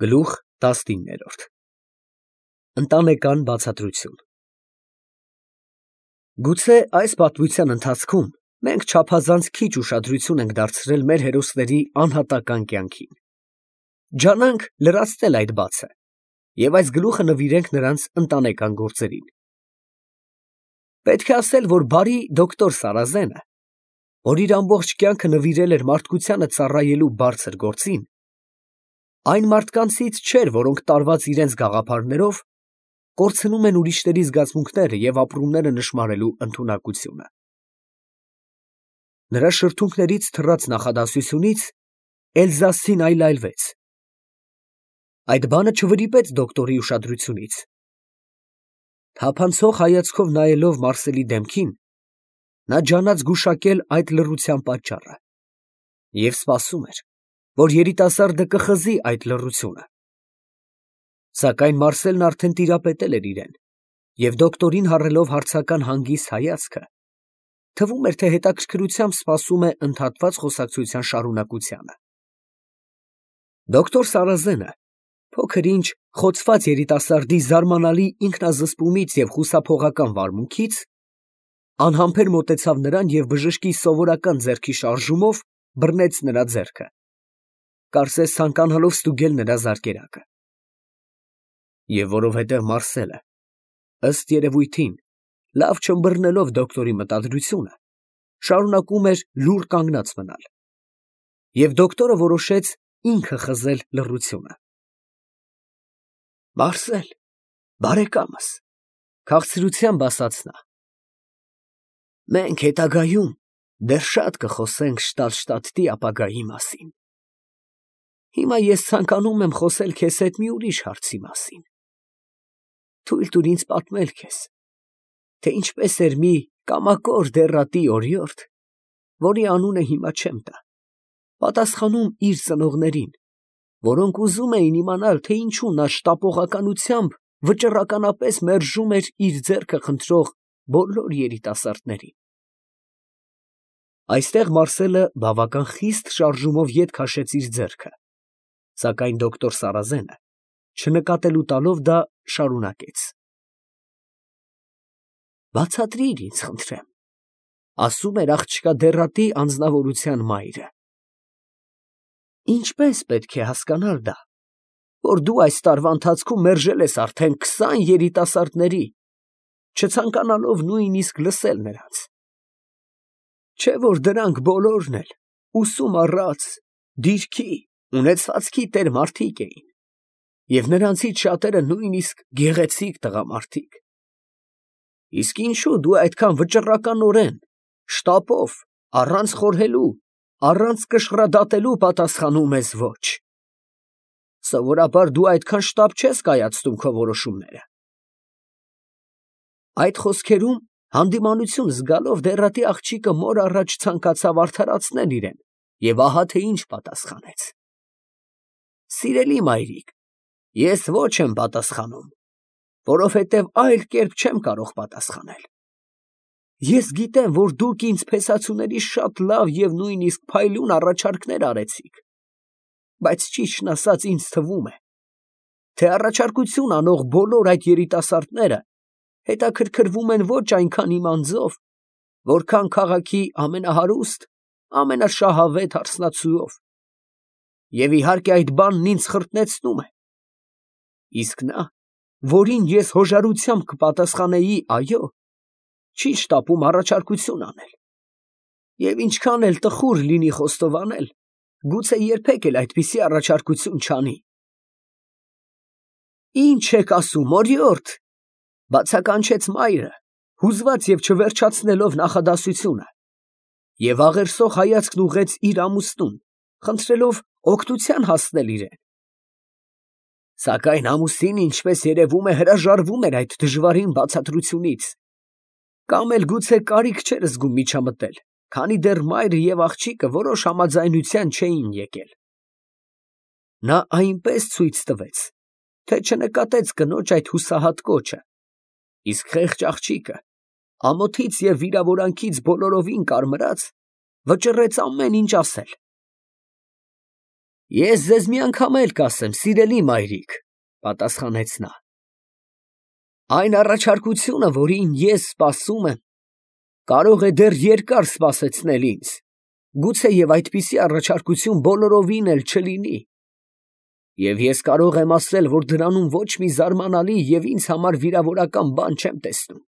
Գլուխ 19 Ընտանեկան բացատրություն Գուցե այս պատմության ընթացքում մենք չափազանց քիչ ուշադրություն ենք դարձրել մեր հերոսների անհատական կյանքին։ Ջանանք լրացնել այդ բացը և այս գլուխը նվիրենք նրանց ընտանեկան գործերին։ Պետք է ասել, որ բարի դոկտոր Սարազենը, որ իր ամբողջ կյանքը նվիրել էր մարդկությանը ծառայելու բարձր գործին, այն մարդկանցից չէր, որոնք տարված իրենց գաղափարներով կորցնում են ուրիշների զգացմունքները և ապրումները նշմարելու ընդունակությունը։ Նրա շրթունքներից թռած նախադասությունից Էլզասին այլայլվեց։ Այդ բանը չվրիպեց դոկտորի ուշադրությունից։ Թափանցող հայացքով նայելով Մարսելի դեմքին, նա ջանաց գուշակել այդ լռության պատճառը և սպասում էր, որ երիտասարդը կխզի այդ լռությունը։ Սակայն Մարսելն արդեն տիրապետել էր իրեն, և դոկտորին հառելով հարցական հանգիստ հայացքը, թվում էր, թե հետաքրքրությամբ սպասում է ընդհատված խոսակցության շարունակությանը։ Դոկտոր Սարազենը, փոքր-ինչ խոցված երիտասարդի զարմանալի ինքնազսպումից և խուսափողական վարմունքից, անհամբեր մոտեցավ նրան և բժշկի սովորական ձեռքի շարժումով բռնեց նրա ձեռքը, կարծես ցանկանալով ստուգել նրա զարկերակը։ Եվ որովհետև Մարսելը, ըստ երևույթին, լավ չըմբռնելով դոկտորի մտադրությունը, շարունակում էր լուռ կանգնած մնալ, և դոկտորը որոշեց ինքը խզել լռությունը։ Մարսել, բարեկամս, քաղցրությամբ ասաց նա, մենք հետագայում դեռ շատ կխոսենք Շտալշտադտի ապագայի մասին։ Հիմա ես ցանկանում եմ խոսել քեզ հետ մի ուրիշ հարցի մասին։ Թույլ տուր ինձ պատմել քեզ, թե ինչպես էր մի կամակոր դեռատի օրիորդ, որի անունը հիմա չեմ տա, պատասխանում իր ծնողներին, որոնք ուզում էին իմանալ, թե ինչու նա շտապողականությամբ վճռականապես մերժում էր իր ձեռքը խնդրող բոլոր երիտասարդներին։ Այստեղ Մարսելը բավական խիստ շարժումով ետ քաշեց իր ձեռքը, սակայն դոկտոր Սարազենը, չնկատելու տալով դա, շարունակեց. Բացատրիր ինձ, խնդրեմ, ասում էր աղջկա դեռատի անձնավորության մայրը, ինչպես պետք է հասկանալ դա, որ դու այս տարվա ընթացքում մերժել ես արդեն 20 երիտասարդների, չցանկանալով նույնիսկ լսել նրանց, չէ՞ որ դրանք բոլորն էլ ուսում առած, դիրքի, ունեցվածքի տեր մարդիկ էին, և նրանցից շատերը նույնիսկ գեղեցիկ տղամարդիկ, իսկ ինչո՞ւ դու այդքան վճռականորեն, շտապով, առանց խորհելու, առանց կշռադատելու պատասխանում ես ոչ։ Սովորաբար դու այդքան շտապ չես կայացնում քո որոշումները։ Այդ խոսքերում հանդիմանություն զգալով դեռատի աղջիկը մոր առաջ ցանկացավ արդարացնել իրեն և ահա թե ինչ պատասխանեց. Սիրելի մայրիկ, ես ոչ եմ պատասխանում, որովհետև այլ կերպ չեմ կարող պատասխանել։ Ես գիտեմ, որ դուք ինձ փեսացուների շատ լավ և նույնիսկ փայլուն առաջարկներ արեցիք, բայց ճիշտն ասած ինձ թվում է, թե առաջարկություն անող բոլոր այդ երիտասարդները հետաքրքրվում են ոչ այնքան իմ անձով, որքան քաղաքի ամենահարուստ, ամենաշահավետ հարսնացուով, և իհարկե այդ բանն ինձ խրտնեցնում է, իսկ նա, որին ես հոժարությամբ կպատասխանեի այո, չի շտապում առաջարկություն անել, և ինչքան էլ տխուր լինի խոստովանել, գուցե երբեք էլ այդպիսի առաջարկություն չանի։ Ի՞նչ եք ասում, օրիորդ, բացականչեց մայրը, հուզված և չվերջացնելով նախադասությունը, և աղերսող հայացքն ուղղեց իր ամուսնուն, խնդրելով օգնության հասնել իրեն։ Սակայն ամուսինը, ինչպես երևում է, հրաժարվում էր այդ դժվարին բացատրությունից, կամ էլ գուցե կարիք չէր զգում միջամտել, քանի դեռ մայրը և աղջիկը որոշ համաձայնության չէին եկել։ Նա այնպես ցույց տվեց, թե չնկատեց կնոջ այդ հուսահատ կոչը, իսկ խեղճ աղջիկը, ամոթից և վիրավորանքից բոլորովին կարմրած, վճռեց ամեն ինչ ասել։ Ես ձեզ մի անգամ էլ կասեմ, սիրելի մայրիկ, պատասխանեց նա. այն առաջարկությունը, որին ես սպասում եմ, կարող է դեռ երկար սպասեցնել ինձ, գուցե և այդպիսի առաջարկություն բոլորովին էլ չլինի, և ես կարող եմ ասել, որ դրանում ոչ մի զարմանալի և ինձ համար վիրավորական բան չեմ տեսնում.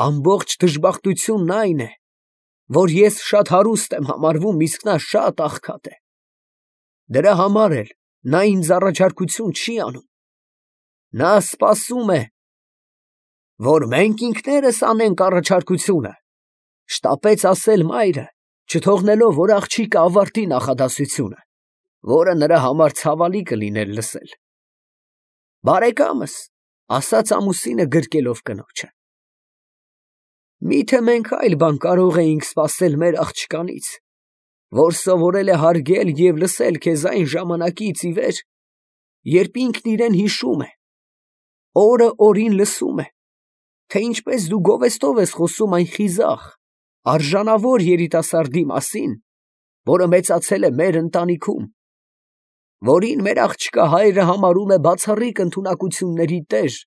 ամբողջ դժբախտությունն այն է, որ ես շատ հարուստ եմ համարվում, իսկ նա շատ աղքատ է. դրա համար էլ նա ինձ առաջարկություն չի անում, նա սպասում է, որ մենք ինքներս անենք առաջարկությունը, շտապեց ասել մայրը, չթողնելով, որ աղջիկը ավարտի նախադասությունը, որը նրա համար ցավալի կլիներ լսել։ Բարեկամս, ասաց ամուսինը գրկելով կնոջը, միթե մենք այլ բան կարող էինք սպասել մեր աղջկանից, որ սովորել է հարգել և լսել քեզ այն ժամանակից ի վեր, երբ ինքն իրեն հիշում է, օրը օրին լսում է, թե ինչպես դու գովեստով ես խոսում այն խիզախ, արժանավոր երիտասարդի մասին, որը մեծացել է մեր ընտանիքում, որին մեր աղջկա հայրը համարում է բացառիկ ընդունակությունների տեր,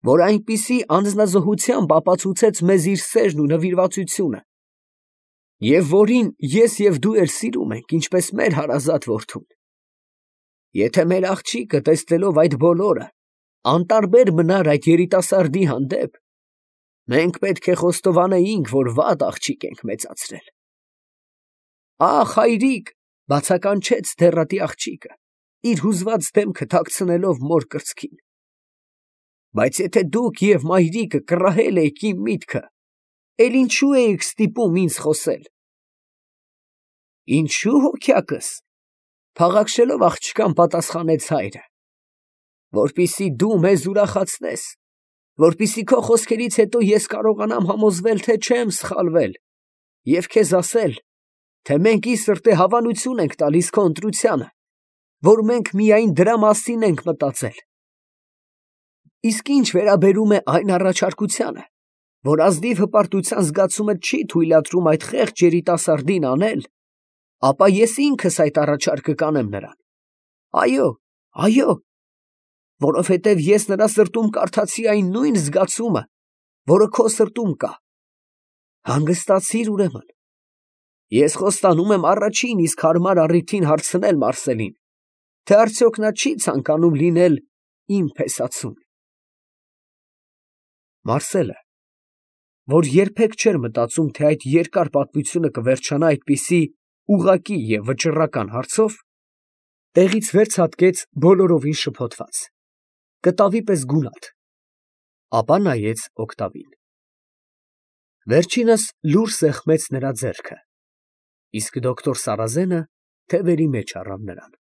որ այնպիսի անձնազոհությամբ ապացուցեց մեզ իր սերն ու նվիրվածությունը, և որին ես և դու էլ սիրում ենք, ինչպես մեր հարազատ որդուն։ Եթե մեր աղջիկը, տեսնելով այդ բոլորը, անտարբեր մնար այդ երիտասարդի հանդեպ, մենք պետք է խոստովանեինք, որ վատ աղջիկ ենք մեծացրել։ Ախ, հայրիկ, բացականչեց դեռատի աղջիկը, իր հուզված դեմքը թաքցնելով մոր կրծքին, բայց եթե դուք և մայրիկը կռահել էիք իմ միտքը, էլ ինչու էիք ստիպում ինձ խոսել։ Ինչու հոգյակս, փաղաքշելով աղջկան պատասխանեց հայրը, որպեսզի դու մեզ ուրախացնես, որպեսզի քո խոսքերից հետո ես կարողանամ համոզվել, թե չեմ սխալվել, և քեզ ասել, թե մենք ի սրտե հավանություն ենք տալիս քո ընտրությանը, որ մենք միայն դրա մասին ենք մտածել։ Իսկ ինչ վերաբերում է այն առաջարկությանը, որ ազնիվ հպարտության զգացումը չի թույլատրում այդ խեղճ երիտասարդին անել, ապա ես ինքս այդ առաջարկը կանեմ նրան։ Այո, այո, որովհետև ես նրա սրտում կարդացի այն նույն զգացումը, որը քո սրտում կա։ Հանգստացիր ուրեմն։ Ես խոստանում եմ առաջին իսկ հարմար առիթին հարցնել Մարսելին, թե արդյոք նա չի ցանկանում լինել իմ փեսացուն։ Մարսելը, որ երբեք չէր մտածում, թե այդ երկար պատմությունը կվերջանա այդպիսի ուղղակի և վճռական հարցով, տեղից վեր ցատկեց բոլորովին շփոթված, կտավի պես գունատ, ապա նայեց օգտավին։ Վերջինս լուռ սեղմեց նրա ձեռքը, իսկ դոկտոր Սարազենը թևերի մեջ առավ նրան։